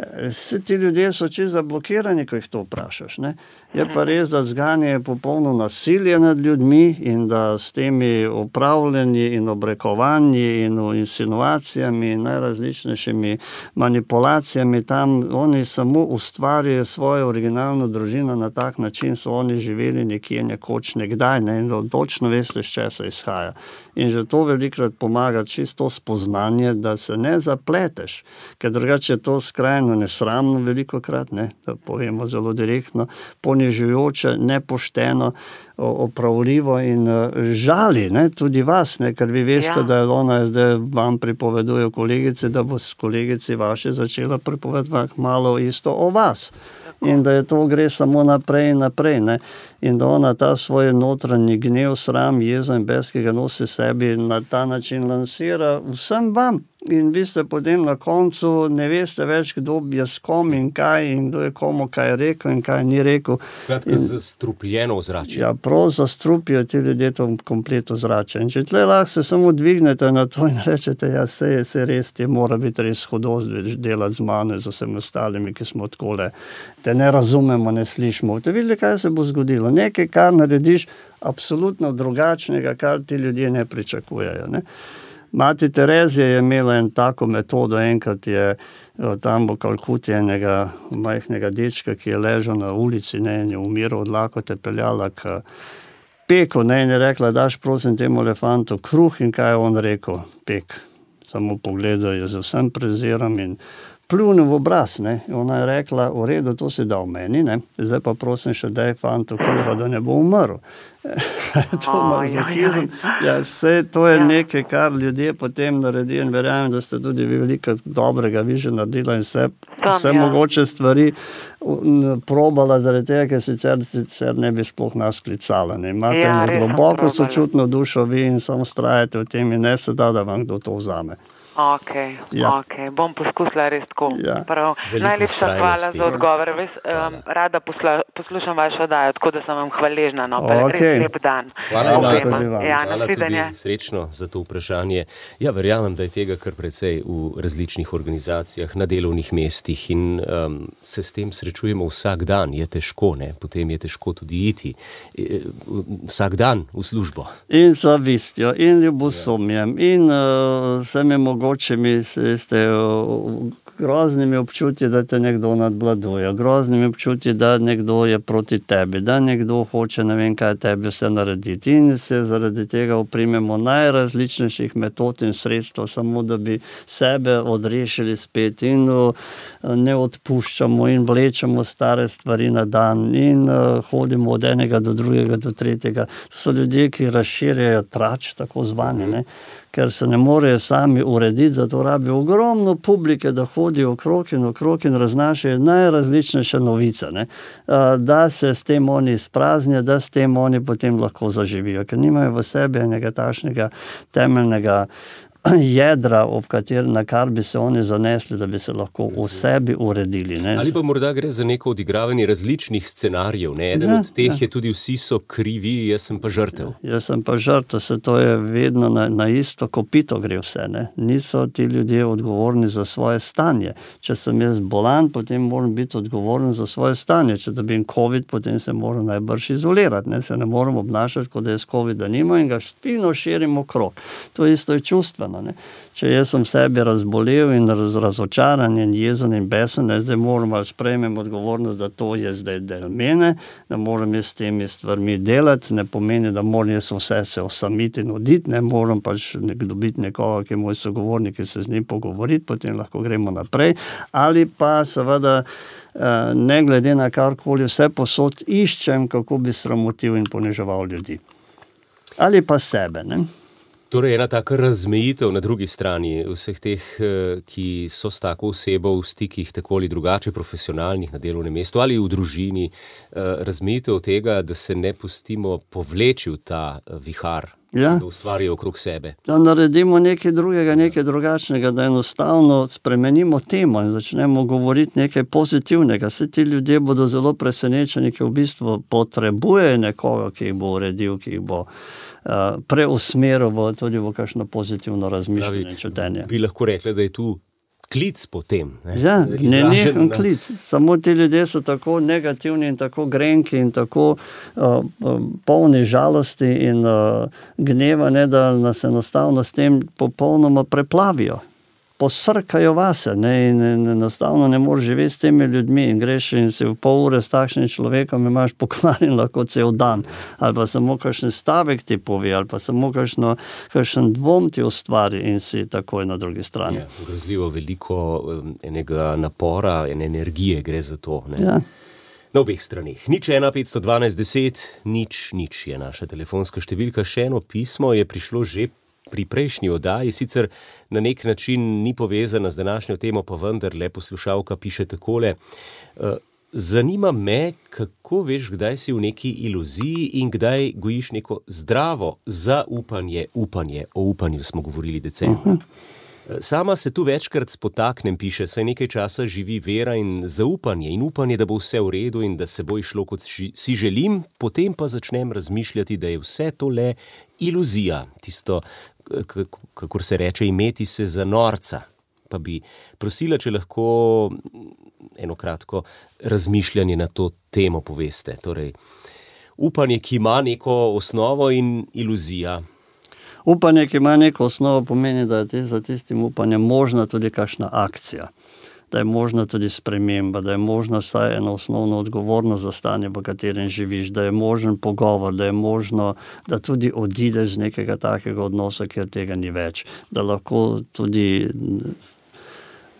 Vsi ti ljudje so čisto zablokirani, ko jih to vprašaš. Ne? Je pa res, da zganje popolno nasilje nad ljudmi in da s temi upravljanji in obrekovanji in insinuacijami in najrazličnejšimi manipulacijami tam oni samo ustvarjajo svojo originalno družino na tak način, so oni živeli nekje nekoč nekdaj, ne? In točno veste, s česa izhaja. In že to velikrat pomaga čisto spoznanje, da se ne zapleteš, ker drugače je to skrajno nesramno velikokrat, ne, da povemo zelo direktno, ponižujoče, nepošteno, opravljivo in žali, ne, tudi vas, ne, ker vi veste, da je ona zdaj vam pripoveduje kolegici, da bo s kolegici vaše začela pripovedovati malo isto o vas. In da je to gre samo naprej in naprej, ne. In da ona ta svoj notranji gnev, sram, jezo in bes, ki ga nosi sebi, na ta način lansira vsem vam. In vi ste potem na koncu ne veste več, kdo je s kom in kaj in kdo je komu kaj rekel in kaj ni rekel. Skratka, zastrupljeno ozračje. Ja, prav zastrupijo ti ljudje to komplet ozračje. In če tle lahko se samo dvignete na to in rečete, ja, se res, ti mora biti res hudost delati z mano in z vsemi ostalimi, ki smo takole, te ne razumemo, ne slišimo. Te videli, kaj se bo zgodilo. Nekaj, kar narediš absolutno drugačnega, kar ti ljudje ne pričakujejo, ne. Mati Terezija je imela en tako metodo, enkrat je tam v Kalkuti enega majhnega dečka, ki je ležal na ulici, ne, in je umiral od lakote, peljala k Peku, ne, in je rekla, daš prosim temu elefantu kruh, in kaj je on rekel? Pek. Samo pogledal je z vsem prezirom in pljunil v obraz, ne. Ona je rekla, v redu, to si dal meni, ne. Zdaj pa prosim še daj fantu kruha, da ne bo umrl. To mazohizem. Ja, vse to je nekaj, kar ljudje potem naredijo in verjamem, da ste tudi vi veliko dobrega vi že naredila in vse mogoče stvari probala zaradi tega, ker sicer ne bi sploh nas klicala. Ne. Imate eno globoko sočutno dušo vi in samo vztrajate v tem in ne se da vam kdo to vzame. Ok, bom poskusila res tako. Najlepša hvala za odgovor. Rada poslušam vašo oddajo, tako da sem vam hvaležna. Res lep dan. Hvala tudi srečno za to vprašanje. Ja, verjamem, da je tega kar precej v različnih organizacijah, na delovnih mestih in se s tem srečujemo vsak dan. Je težko, ne? Potem je težko tudi iti. Vsak dan v službo. In zavistjo, in ljubosumjem, in vsem je mogoče mi ste groznimi občutji, da te nekdo nadvladuje, groznimi občutji, da nekdo je proti tebi, da nekdo hoče ne vem kaj tebi vse narediti in se zaradi tega oprimemo najrazličnejših metod in sredstev, samo da bi sebe odrešili spet in ne odpuščamo in vlečemo stare stvari na dan in hodimo od enega do drugega do tretjega. To so ljudje, ki razširjajo trač, tako zvani, ne? Ker se ne morejo sami urediti, zato rabijo ogromno publike, da hodijo okrog in raznašajo najrazličnejše novice, ne? Da se s tem oni izpraznijo, da s tem oni potem lahko zaživijo, ker nimajo v sebi enega takšnega temeljnega jedra, na kar bi se oni zanesli, da bi se lahko v sebi uredili. Ne? Ali pa morda gre za neko odigravanje različnih scenarijev. Ne? Eden od teh je tudi vsi so krivi, jaz sem pa žrtev. Jaz sem pa žrtev, se to je vedno na isto kopito gre vse. Ne? Niso ti ljudje odgovorni za svoje stanje. Če sem jaz bolan, potem moram biti odgovoren za svoje stanje. Če dobim COVID, potem se moram najbrž izolirati. Ne? Se ne moram obnašati, kot da jaz COVID-a nima in ga špilno širimo krog. To isto je čustveno. Ne? Če jaz sem sebi razbolel in razočaran in jezen in besen, zdaj moram ali sprejmem odgovornost, da to je zdaj del mene, da moram jaz s temi stvarmi delati, ne pomeni, da moram jaz vse se osamiti in oditi, ne moram pač dobiti nekoga, ki je moj sogovornik, ki se z njim pogovoriti, potem lahko gremo naprej, ali pa seveda ne glede na karkoli vse posod iščem, kako bi sramotil in poniževal ljudi. Ali pa sebe, ne? Torej, ena taka razmejitev na drugi strani vseh teh, ki so s tako osebo v stikih tako ali drugače, profesionalnih na delovnem mestu ali v družini, razmejitev tega, da se ne pustimo povleči v ta vihar, da ustvarijo okrog sebe. Da naredimo nekaj drugega, nekaj drugačnega, da enostavno spremenimo temo in začnemo govoriti nekaj pozitivnega. Vse ti ljudje bodo zelo presenečeni, ki v bistvu potrebujejo nekoga, ki jih bo uredil, ki jih bo preusmeril tudi v kakšno pozitivno razmišljanje, čutenje. Bi lahko rekli, da je tu klic potem. Ne? Ja, nenehen klic. Samo ti ljudje so tako negativni in tako grenki in tako polni žalosti in gneva, ne, da nas enostavno s tem popolnoma preplavijo. Posrkajo vase, ne, in enostavno ne moreš živeti s temi ljudmi in greš in si v pol ure s takšnim človekom imaš pokvarjen lahko cel dan, ali pa samo kakšen stavek ti pove, ali pa samo kakšen dvom ti ustvari in si takoj na drugi strani. Ja, grozljivo veliko enega napora, ene energije gre za to. Ne? Ja. Na obeh stranih. 0:1 512 10 0 je naša telefonska številka. Še eno pismo je prišlo že pri prejšnji oddaji, sicer na nek način ni povezana z današnjo temo, pa vendarle poslušalka piše takole. Zanima me, kako veš, kdaj si v neki iluziji in kdaj gojiš neko zdravo zaupanje, upanje. O upanju smo govorili decembra. Sama se tu večkrat spotaknem, piše, saj nekaj časa živi vera in zaupanje in upanje, da bo vse v redu in da se bo išlo, kot si želim, potem pa začnem razmišljati, da je vse to le iluzija, tisto, kakor se reče, imeti se za norca. Pa bi prosila, če lahko eno kratko razmišljanje na to temo poveste. Torej, upanje, ki ima neko osnovo in iluzija. Upanje, ki ima neko osnovo, pomeni, da je za tistim upanjem možna tudi kakšna akcija, da je možna tudi sprememba, da je možna vsaj ena osnovna odgovornost za stanje, v katerem živiš, da je možen pogovor, da je možno, da tudi odideš z nekega takega odnosa, ker tega ni več, da lahko tudi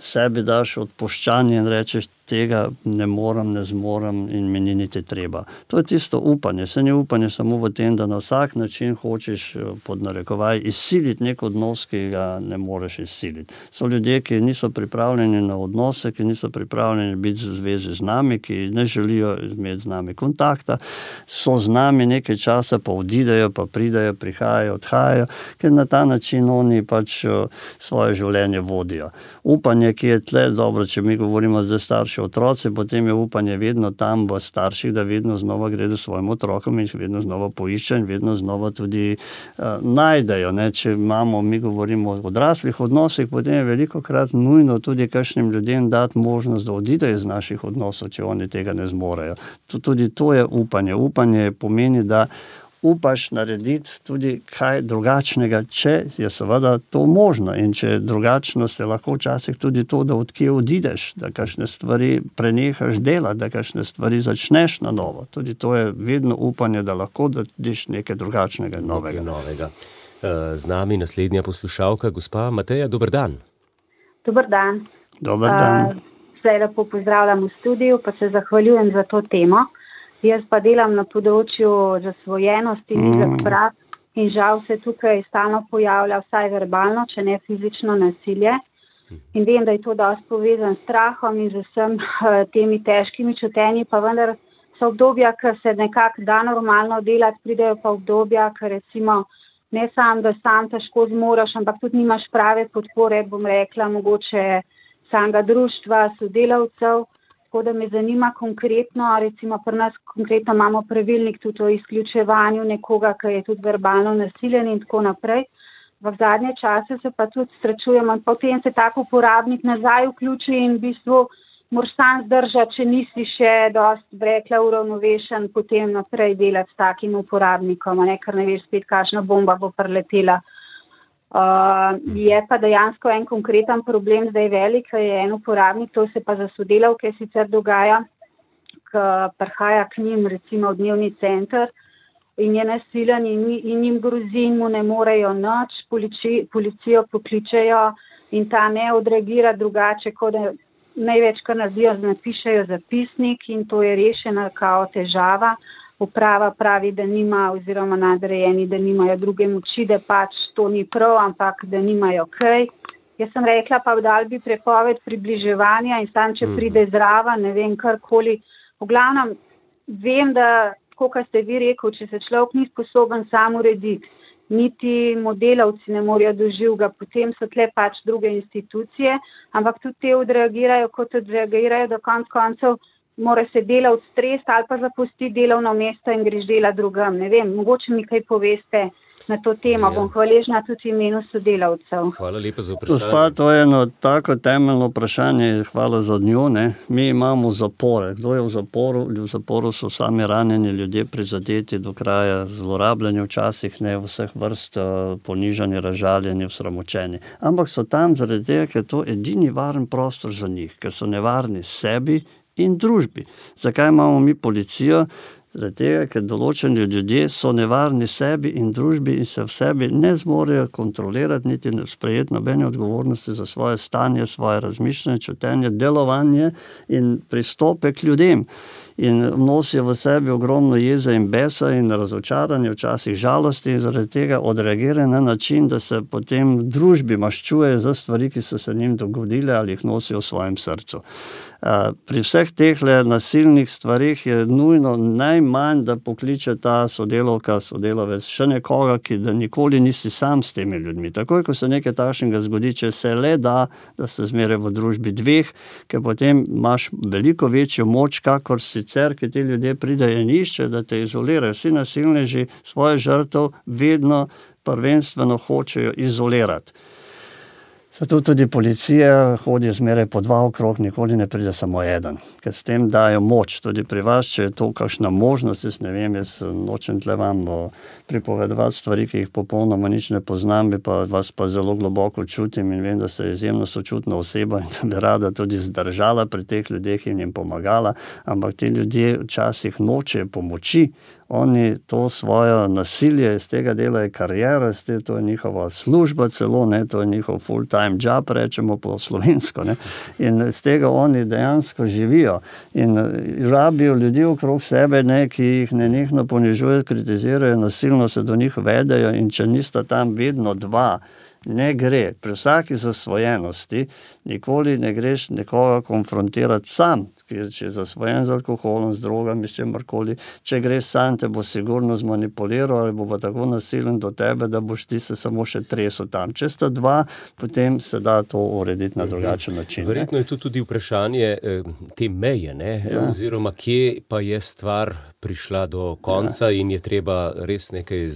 sebi daš odpuščanje in rečeš, tega ne morem, ne zmorem in mi ni niti treba. To je tisto upanje. Se ni upanje samo v tem, da na vsak način hočeš pod narekovaj izsiliti nek odnos, ki ga ne moreš izsiliti. So ljudje, ki niso pripravljeni na odnose, ki niso pripravljeni biti v zvezi z nami, ki ne želijo imeti z nami kontakta, so z nami nekaj časa, pa odidejo, pa pridejo, prihajajo, odhajajo, ker na ta način oni pač svoje življenje vodijo. Upanje, ki je tle, dobro, če mi govorimo zdaj starši otroci, potem je upanje vedno tam v starših, da vedno znova gredo svojim otrokom in jih vedno znova poišče in vedno znova tudi najdejo. Ne? Če imamo, mi govorimo o odraslih odnosih, potem je velikokrat nujno tudi kakšnim ljudem dati možnost, da odidejo iz naših odnosov, če oni tega ne zmorejo. Tudi to je upanje. Upanje pomeni, da upaš narediti tudi kaj drugačnega, če je seveda to možno. In če drugačnost je lahko včasih tudi to, da odkje odideš, da kakšne stvari prenehaš delati, da kakšne stvari začneš na novo. Tudi to je vedno upanje, da lahko dadiš nekaj drugačnega in novega. Z nami naslednja poslušalka, gospa Mateja, dober dan. Dober dan. Dober dan. Vse lepo pozdravljam v studiu, pa se zahvaljujem za to temo. Jaz pa delam na področju zasvojenosti in in žal se tukaj stalno pojavlja vsaj verbalno, če ne fizično nasilje. In vem, da je to dosti povezan s strahom in z vsem temi težkimi čutenji, pa vendar so obdobja, ker se nekako da normalno delati, pridejo pa obdobja, ker recimo ne samo, da sam težko zmoraš, ampak tudi nimaš prave podpore, bom rekla, mogoče samega društva, sodelavcev. Tako da me zanima konkretno, recimo pri nas konkretno imamo pravilnik tudi o izključevanju nekoga, ki je tudi verbalno nasiljen in tako naprej. V zadnje čase se pa tudi srečujemo in potem se tak uporabnik nazaj vključi in v bistvu moraš sam zdržati, če nisi še dosti, rekla, uravnovešen, potem naprej delati s takim uporabnikom, ker ne veš spet, kakšna bomba bo preletela. Je pa dejansko en konkreten problem zdaj velik, je en uporabnik, to se pa za sodelavke sicer dogaja, ki prihaja k njim recimo v dnevni center in je nasilen in njim grozi in mu ne morejo nič, policijo pokličejo in ta ne odreagira drugače, kot da največ, kar naredijo, napišejo zapisnik in to je rešena kao težava. Uprava pravi, da nima, oziroma nadrejeni, da nimajo druge moči, da pač to ni prav, ampak da nimajo kaj. Jaz sem rekla, pa dal bi prepoved približevanja in stan, če pride zraven, ne vem, karkoli. V glavnem, vem, da, tako kot ste vi rekel, če se človek ni sposoben sam urediti, niti modelavci ne morejo doživega, potem so tle pač druge institucije, ampak tudi te odreagirajo, kot odreagirajo do koncev, mora se delavci stresti ali pa zapustiti delovno mesto in greš delati drugam. Ne vem, mogoče mi kaj poveste na to temo. Bom hvaležna tudi v imenu sodelavcev. Hvala lepa za vprašanje. Gospa, to je eno tako temeljno vprašanje, hvala za njo. Ne? Mi imamo zapore. Kdo je v zaporu? V zaporu so sami ranjeni ljudje, prizadeti do kraja, zlorabljeni včasih, ne vseh vrst, ponižani, razžaljeni, osramočeni. Ampak so tam zaradi tega, ker je to edini varen prostor za njih, ker so nevarni sebi in družbi. Zakaj imamo mi policijo? Zaradi tega, ker določeni ljudje so nevarni sebi in družbi in se v sebi ne zmorejo kontrolirati, niti sprejeti nobene odgovornosti za svoje stanje, svoje razmišljanje, čutenje, delovanje in pristope k ljudem. In nosijo v sebi ogromno jeze in besa in razočaranje, včasih žalosti in zaradi tega odreagirajo na način, da se potem v družbi maščujejo za stvari, ki so se njim dogodile ali jih nosijo v svojem srcu. Pri vseh teh nasilnih stvarih je nujno najmanj, da pokliče ta sodelavka, sodelavec še nekoga, ki da nikoli nisi sam s temi ljudmi. Takoj, ko se nekaj takšnega zgodi, če se le da se zmeraj v družbi dveh, ker potem imaš veliko večjo moč, kakor sicer, ki ti ljudje pridejo in iščejo, da te izolirajo. Vsi nasilneži svoje žrtev vedno prvenstveno hočejo izolirati. Zato tudi policija hodi zmeraj po dva okrog, nikoli ne pride samo eden, ker s tem dajo moč. Tudi pri vas, če je to kakšna možnost, jaz ne vem, jaz nočem tle vam pripovedovati stvari, ki jih popolnoma nič ne poznam, vas pa zelo globoko čutim in vem, da ste izjemno sočutna oseba in da bi rada tudi zdržala pri teh ljudeh in jim pomagala, ampak ti ljudje včasih nočejo pomoči oni to svoje nasilje, iz tega delajo karijera, to je njihova služba celo, ne, to je njihov full-time job, rečemo po slovensko, ne, in iz tega oni dejansko živijo in rabijo ljudi okrog sebe, ne, ki jih nenehno ponižujejo, kritizirajo, nasilno se do njih vedejo in če nista tam vedno dva, ne gre. Pri vsaki zasvojenosti nikoli ne greš nekoga konfrontirati sam, če je zasvojen z alkoholom, z drogami, s čemorkoli. Če greš sam, te bo sigurno zmanipuliral ali bo pa tako nasilen do tebe, da boš ti se samo še tresel tam. Če sta dva, potem se da to urediti na drugačen način. Verjetno je to tudi vprašanje te meje, ne? Oziroma kje pa je stvar prišla do konca in je treba res nekaj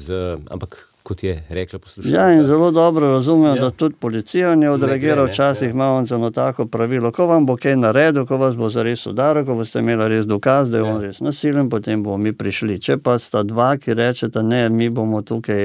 ampak kot je rekla poslušalka. Ja, in zelo dobro razumem, da tudi policija ne odreagira, včasih imamo eno tako pravilo, ko vam bo kaj naredil, ko vas bo zares udaril, ko boste imeli res dokaz, da je on res nasilen, potem bomo mi prišli. Če pa sta dva, ki rečeta, ne, mi bomo tukaj,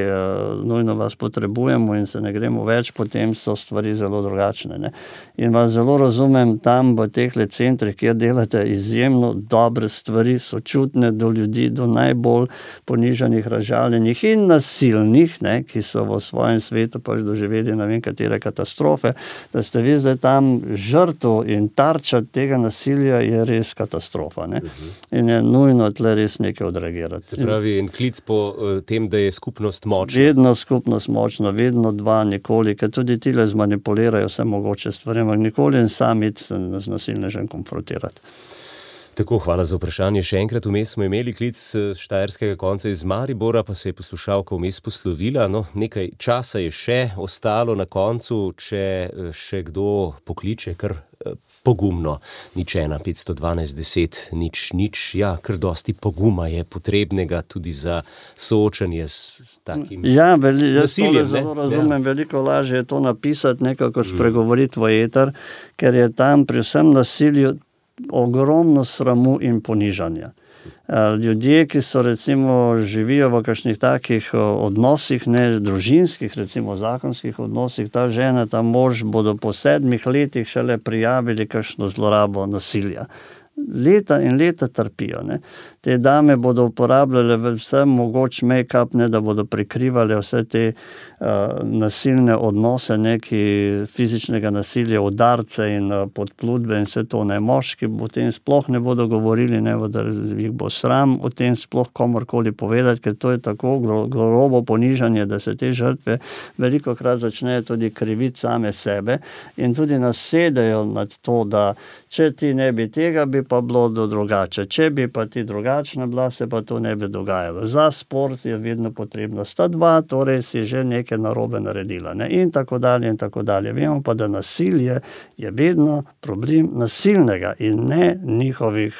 nujno vas potrebujemo in se ne gremo več, potem so stvari zelo drugačne, ne. In vas zelo razumem tam v tehle centrih, kjer delate izjemno dobre stvari, sočutne do ljudi, do najbolj ponižanih, razžaljenih in nasilnih, ne, ki so v svojem svetu pač doživeli ne vem katere katastrofe, da ste vi zdaj tam žrtev in tarča tega nasilja je res katastrofa, ne. In je nujno tle res nekaj odreagirati. Se pravi, en klic po tem, da je skupnost močna. Vedno skupnost močna, vedno dva, nikoli, ker tudi tile zmanipulirajo vse mogoče stvari, ampak nikoli in sam iti z nasilnežem konfrontirati. Tako, hvala za vprašanje. Še enkrat vmes smo imeli klic štajerskega konca iz Maribora, pa se je poslušalka vmes poslovila. No, nekaj časa je še ostalo na koncu, če še kdo pokliče kar pogumno. 0:1 512 10 0. Ja, kar dosti poguma je potrebnega tudi za soočanje s takim nasiljem. Zelo razumem, veliko lažje je to napisati, nekako spregovoriti v eter, ker je tam pri vsem nasilju ogromno sramu in ponižanja. Ljudje, ki so recimo živijo v kakšnih takih odnosih, ne družinskih, recimo zakonskih odnosih, ta žena, ta mož bodo po 7 letih šele prijavili kakšno zlorabo nasilja. Leta in leta trpijo, ne. Te dame bodo uporabljale vse mogoč make-up, ne, da bodo prikrivali vse te nasilne odnose, neki fizičnega nasilja, udarce in podplutbe in vse to, ne. Moški o tem sploh ne bodo govorili, ne, da jih bo sram o tem sploh komorkoli povedati, ker to je tako grobo ponižanje, da se te žrtve velikokrat začnejo tudi kriviti same sebe in tudi nasedajo nad to, da če ti ne bi tega, bi pa bilo drugače. Če bi pa ti drugačna bila, se pa to ne bi dogajalo. Za sport je vedno potrebno sta dva, torej si že nekaj narobe naredila, ne? In tako dalje in tako dalje. Vemo pa, da nasilje je vedno problem nasilnega in ne njihovih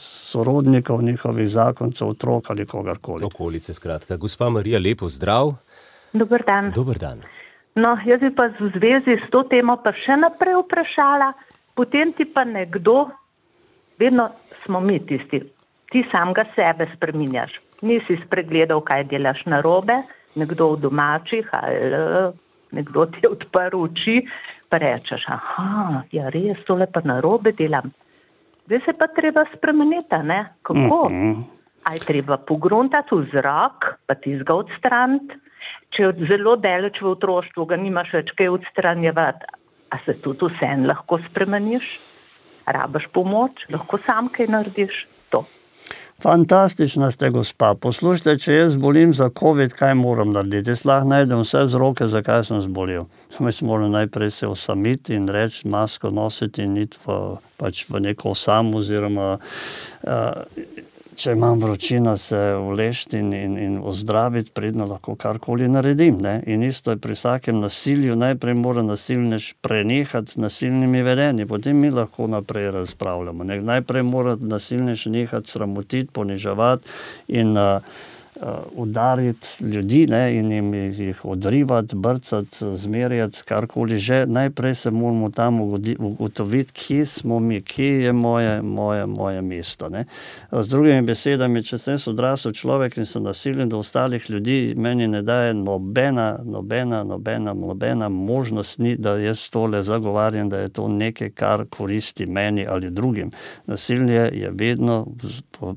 sorodnikov, njihovih zakoncev, otrok ali kogarkoli. Okolice, skratka. Gospa Marija, lepo zdrav. Dober dan. Dober dan. No, jaz bi pa v zvezi s to temo pa še naprej vprašala, potem ti pa nekdo, vedno smo mi tisti, ti samega sebe spreminjaš. Nisi spregledal, kaj delaš narobe, nekdo v domačih ali nekdo ti je odprl oči, pa rečeš, aha, ja res, tole pa narobe delam. Zdaj se pa treba spremeniti, ne? Kako? A je treba pogruntati vzrok, pa tizga odstraniti? Če je zelo daleč v otroštvu, ga nimaš več kaj odstranjevati, a se tudi vsem lahko spremeniš? Rabaš pomoč? Lahko sam kaj narediš? To. Fantastična ste, gospa. Poslušajte, če jaz zbolim za COVID, kaj moram narediti? Jaz lahko najdem vse vzroke, zakaj sem zbolel. Jaz moram najprej se osamiti in reči, masko nositi in iti v neko osamo oziroma če imam vročino, se ulešti in ozdraviti, predno lahko karkoli naredim, ne. In isto je pri vsakem nasilju, najprej mora nasilnež prenehati z nasilnimi vedenji, potem mi lahko naprej razpravljamo, ne. Najprej mora nasilnež nehati sramotiti, poniževati in udariti ljudi, ne, in jih odrivati, brcati, zmerjati, karkoli že. Najprej se moramo tam ugotoviti, kje smo mi, kje je moje mesto. Ne. Z drugimi besedami, če sem odrasel človek in sem nasilen do ostalih ljudi, meni ne daje nobena možnost ni, da jaz tole zagovarjam, da je to nekaj, kar koristi meni ali drugim. Nasilje je vedno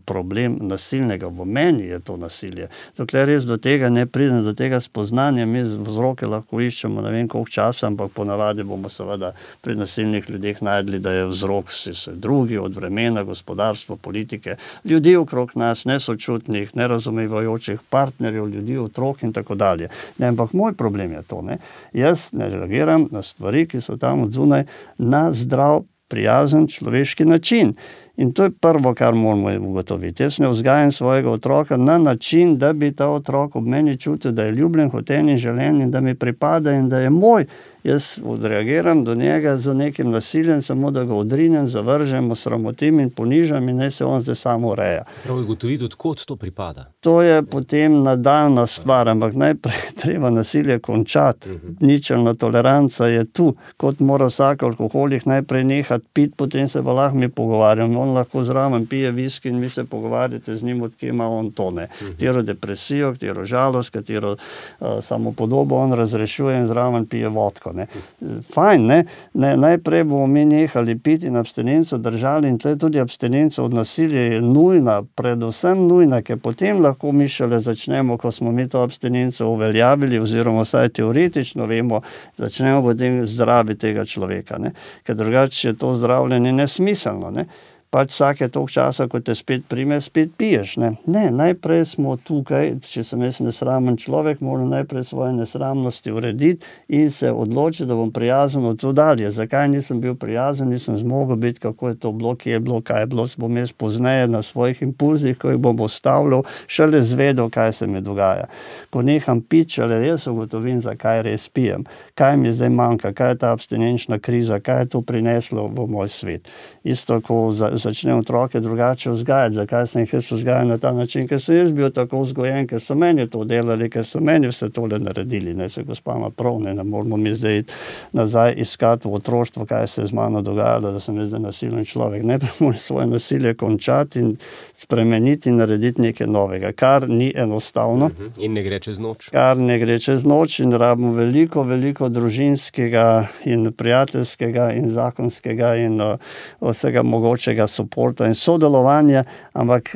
problem nasilnega. V meni je to nasilje. Dokler res do tega ne pridem, do tega spoznanja, mi vzroke lahko iščemo ne vem koliko časa, ampak ponavadi bomo seveda pri nasilnih ljudeh najdli, da je vzrok vse drugi, od vremena, gospodarstvo, politike, ljudi okrog nas, nesočutnih, nerazumevajočih partnerjev, ljudi, otrok in tako dalje. Ne, ampak moj problem je to. Ne? Jaz ne reagiram na stvari, ki so tam od zunaj, na zdrav, prijazen človeški način. In to je prvo, kar moramo ugotoviti. Jaz ne vzgajam svojega otroka na način, da bi ta otrok ob meni čutil, da je ljubljen, hoten in želen in da mi pripada in da je moj. Jaz odreagiram do njega z nekim nasiljem, samo da ga odrinem, zavržem, osramotim in ponižam in naj se on zdaj samo ureja. Prav je ugotoviti, odkot to pripada. To je potem nadaljna stvar, ampak najprej treba nasilje končati. Ničelna toleranca je tu. Kot mora vsak alkoholik najprej nehati piti, potem se pa lahko mi pogovarjamo. On lahko zraven pije viski in vi se pogovarjate z njim, odkje ima on tone. Katero depresijo, katero žalost, katero samopodobo on razrešuje in zraven pije vodko. Ne. Fajn, ne? Najprej bomo mi nehali piti in abstinenco držali in tle tudi abstinenca od nasilja je nujna, predvsem nujna, ker potem lahko mi šele začnemo, ko smo mi to abstinenco uveljavili oziroma vsaj teoretično vemo, začnemo potem zdraviti tega človeka. Ne? Ker drugače je to zdravljenje nesmiselno. Ne? Pač vsake toliko časa, ko te spet prime, spet piješ. Ne, najprej smo tukaj, če sem jaz nesramen človek, moram najprej svoje nesramnosti urediti in se odločiti, da bom prijazen od tu dalje. Zakaj nisem bil prijazen, nisem zmogel biti, kako je to bilo, kje je bilo, kaj je bilo, bom jaz pozneje na svojih impulzih, ko jih bom ostavljal, šele zvedel, kaj se mi dogaja. Ko neham piti, šele jaz ugotovim, zakaj res pijem, kaj mi zdaj manjka, kaj je ta abstinenčna kriza, kaj je to prineslo v moj svet. Isto, ko začnem otroke drugače vzgajati. Zakaj sem jih jaz vzgajal na ta način? Ker sem jaz bil tako vzgojen, ker so meni to delali, ker so meni vse tole naredili. Ne se gospa ima prav, ne moramo mi zdaj nazaj iskati v otroštvo, kaj se je z mano dogajalo, da sem jaz zdaj nasilen človek. Najprej moram svoje nasilje končati in spremeniti in narediti nekaj novega, kar ni enostavno. In ne gre čez noč. Kar ne gre čez noč in rabimo veliko družinskega in prijateljskega in zakonskega in vsega mogočega suporta in sodelovanja, ampak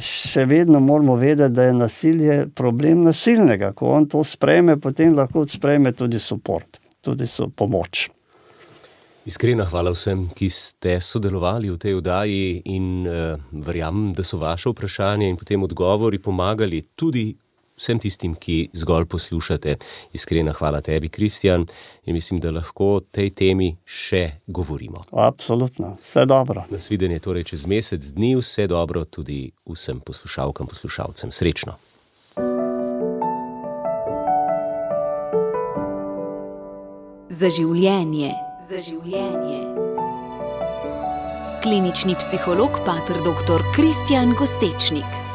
še vedno moramo vedeti, da je nasilje problem nasilnega. Ko on to sprejme, potem lahko sprejme tudi suport, tudi pomoč. Iskrena hvala vsem, ki ste sodelovali v tej oddaji in verjamem, da so vaše vprašanje in potem odgovori pomagali tudi vsem tistim, ki zgolj poslušate. Iskrena hvala tebi, Kristjan, in mislim, da lahko o tej temi še govorimo. Absolutno, vse dobro. Nasvidenje torej čez mesec dni, vse dobro tudi vsem poslušalkam, poslušalcem. Srečno. Za življenje. Klinični psiholog, pater dr. Kristjan Gostečnik.